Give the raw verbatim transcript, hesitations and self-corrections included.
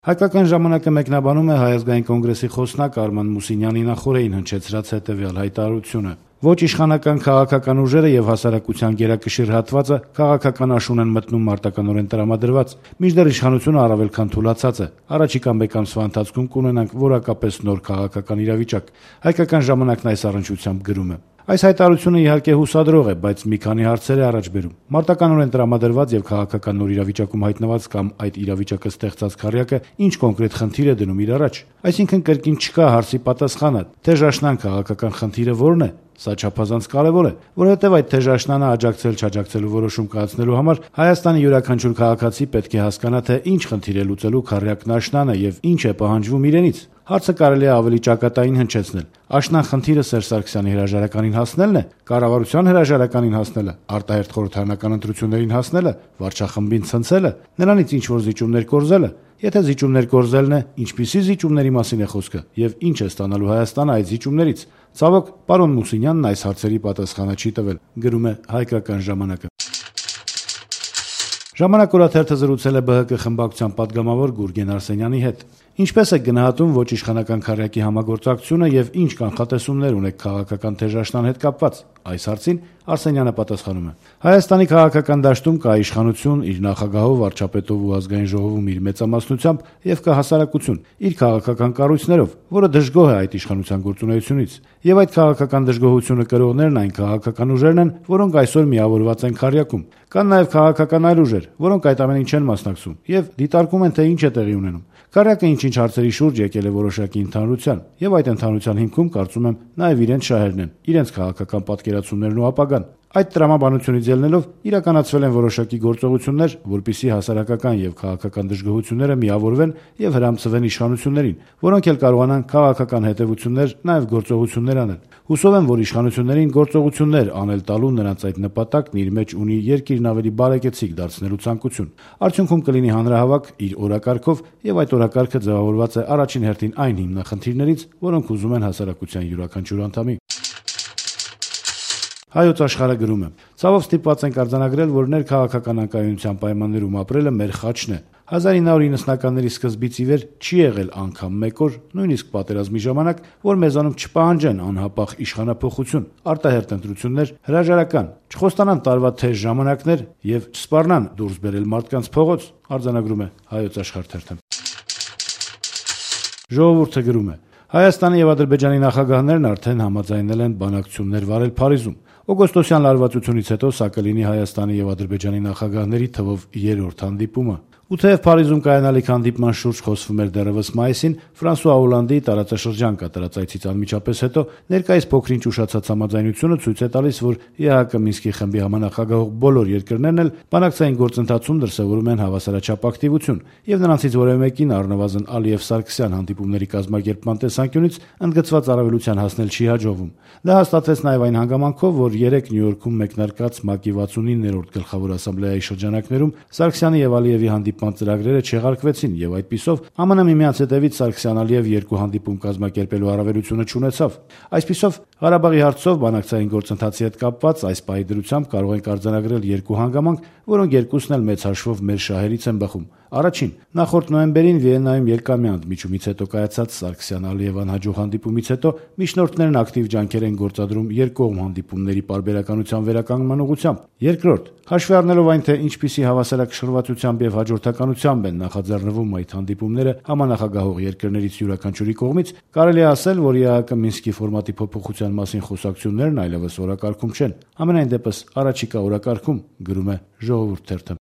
Հայկական ժամանակը մեկնաբանում է Հայ ազգային կոնգրեսի խոսնակ Արման Մուսինյանի նախօրեին հնչեցրած հետևյալ հայտարարությունը. «Ոչ իշխանական քաղաքական ուժերը եւ հասարակության գերակշիռ հատվածը քաղաքական աշուն են մտնում մարտականորեն տրամադրված, մինչդեռ իշխանությունը առավել քան թուլացած է։ Առաջիկա մեկ ամսվա ընթացքում կունենանք որակապես նոր քաղաքական իրավիճակ»։ Հայկական ժամանակն այս առնչությամբ գրում է. Այս հայտարարությունը իհարկե հուսադրող է, բայց մի քանի հարցեր է առաջ բերում։ Մարտականորեն տրամադրված եւ քաղաքական նոր իրավիճակում հայտնված կամ այդ իրավիճակը ստեղծած քառյակը ինչ կոնկրետ խնդիր է դնում իր առաջ։ Այսինքն կրկին չկա հարցի պատասխանը, թեժաշնան քաղաքական խնդիրը որն է։ Սա չափազանց կարևոր է, որովհետև այդ թեժաշնանը աջակցել-չաջակցելու որոշում կայացնելու համար Հայաստանի յուրաքանչյուր քաղաքացի պետք է հասկանա, թե ինչ խնդիր է լուծելու քառյակն աշնանը եւ ինչ է պահանջվում իրենից։ Հարցը կարելի է ավելի ճակատային հնչեցնել։ Աշնան խնդիրը Սերժ Սարգսյանի հրաժարականին հասնելն է, կառավարության հրաժարականին հասնելը, արտահերթ խորհրդարանական ընտրություններին հասնելը, վարչախմբին ցնցելը, նրանից ինչ որ զիջումներ կորզելը։ Եթե զիջումներ կորզելն է, ինչպիսի զիջումների մասին է խոսքը եւ ինչ է ստանալու Հայաստանը այդ զիջումներից։ Ցավոք, պարոն Մուսինյանն այս հարցերի պատասխանը չի տվել, գրում է Հայկական ժամանակը։ Ժամանակ օրաթերթը զրուցել է ԲՀԿ խմբակցության падգամավոր Գուրգեն Արսենյանի հետ։ Ինչպես է գնահատում ոչ իշխանական քառյակի համագործակցությունը եւ ինչ կանխատեսումներ ունեք քաղաքական թեժաշնան հետ կապված։ Այս հարցին Արսենյանը պատասխանում է. Հայաստանի քաղաքական դաշտում կա իշխանություն իր նախագահով, վարչապետով ու ազգային ժողովում իր մեծամասնությամբ եւ կա հասարակություն իր քաղաքական կառույցներով, որը դժգոհ է այդ իշխանության գործունեությունից։ Եվ այդ քաղաքական դժգոհությունը կրողներն այն քաղաքական ուժերն են, որոնք այսօր միավորված են քառյակում։ Կան նաեւ քաղաքական այլ ուժեր, որոնք այդ ամենին չեն մասնակցում եւ դիտարկում են, թե ինչ է տեղի ունենում։ Քառյակը ինչ-ինչ հարցերի շուրջ եկել է որոշակի ընդհանրության, եւ այդ ընդհանրության հիմքում կարծում եմ նաեւ իրենց շահերն են, իրենց քաղաքական պատկերացումներն ու ապագան։ Այդ տրամաբանությունից ելնելով իրականացվել են որոշակի գործողություններ, որպիսի հասարակական եւ քաղաքական դժգոհությունները միավորվեն եւ հրամցվեն իշխանություններին, որոնք էլ կարողանան քաղաքական հետեւություններ, նաեւ գործողություններ անել։ Հուսով եմ, որ իշխանություններին գործողություններ անել տալու նրանց այդ նպատակն իր մեջ ունի երկիրն ավելի բարեկեցիկ դարձնելու ցանկություն։ Արդյունքում կլինի հանրահավաք իր օրակարգով եւ այդ օրակարգը ձևավորված է առաջին հերթին այն հիմնախնդիրներից, որոնք ուզում են հասարակության յուրաքանչյուր անդամի։ Հայոց աշխարհը գրում է. «Ցավով ստիպված ենք արձանագրել, որ ներքաղաքական անկայունության պայմաններում ապրելը մեր խաչն է։ հազար ինը հարյուր իննսունականների սկզբից ի վեր չի եղել անգամ մեկ օր, նույնիսկ պատերազմի ժամանակ, որ մեզանում չպահանջեն անհապաղ իշխանափոխություն, արտահերթ ընտրություններ, հրաժարական, չխոստանան տարվա թեժ ժամանակներ եւ չսպառնան դուրս բերել մարդկանց փողոց», արձանագրում է Հայոց աշխարհ թերթը։ Ժողովուրդը գրում է. «Հայաստանի եւ Ադրբեջանի նախագահներն արդեն համաձայնել են բանակցություններ վարել Փարիզում։ Օգոստոսյան լարվածությունից հետո սա կլինի Հայաստանի եւ Ադրբեջանի նախագահների թվով երրորդ հանդիպումը։ Ու թեև Փարիզում կայանալիք հանդիպման շուրջ խոսվում էր դեռևս մայիսին, Ֆրանսուଆ Օլանդի տարածաշրջան կատարած այցից անմիջապես հետո ներկայիս փոքրինչ ուշացած համաձայնությունը ցույց է տալիս, որ ԵԱՀԿ Մինսկի խմբի համանախագահող բոլոր երկրներն էլ բանակցային գործընթացում դրսևորում են հավասարաչափ ակտիվություն, եւ նրանցից որևէ մեկին առնվազն Ալիև-Սարգսյան հանդիպումների կազմակերպման տեսանկյունից ընդգծված առավելության հասնել չի հաջողվում։ Դա հաստատվեց նաեւ այն հանգամանքով, որ երեկ Նյու Յորքում մեկնարկած ՄԱԿ-ի վաթսունիններորդ գլխավոր ասամբլեայի շրջանակներում Սարգսյանի եւ Ալիևի հանդիպման ծրագրերը չեղարկվեցին եւ այդպիսով ԱՄՆ միմյանց հետևից Սարգսյան-Ալիև երկու հանդիպում կազմակերպելու առավելությունը չունեցավ։ Այսպիսով Ղարաբաղի հարցով բանակցային գործընթացի հետ կապված այս պահի դրությամբ կարող ենք արձանագրել երկու հանգամանք, որոնք երկուսն էլ մեծ հաշվով մեր շահերից են բխում։ Առաջին, նախորդ նոյեմբերին Վիեննայում երկամյա ընդմիջումից հետո կայացած Սարգսյան-Ալիև անհաջող հանդիպումից հետո միջնորդներն ակտիվ ջանքեր են գործադրում երկկողմ հանդիպումների պարբերականության վերականգնման ուղղությամբ։ Երկրորդ, հաշվի առնելով այն, թե ինչպիսի հավասարակշռվածությամբ եւ հաջորդականությամբ են նախաձեռնվում այդ հանդիպումները համանախագահող երկրներից յուրաքանչյուրի կողմից, կարելի է ասել, որ ԵԱՀԿ Մինսկի ֆորմատի փոփոխության մասին խոսակցություններն այլևս օրակարգում չեն։ Համենայն դեպս առաջիկա օրակարգում, գրում է Ժողովուրդ թերթը։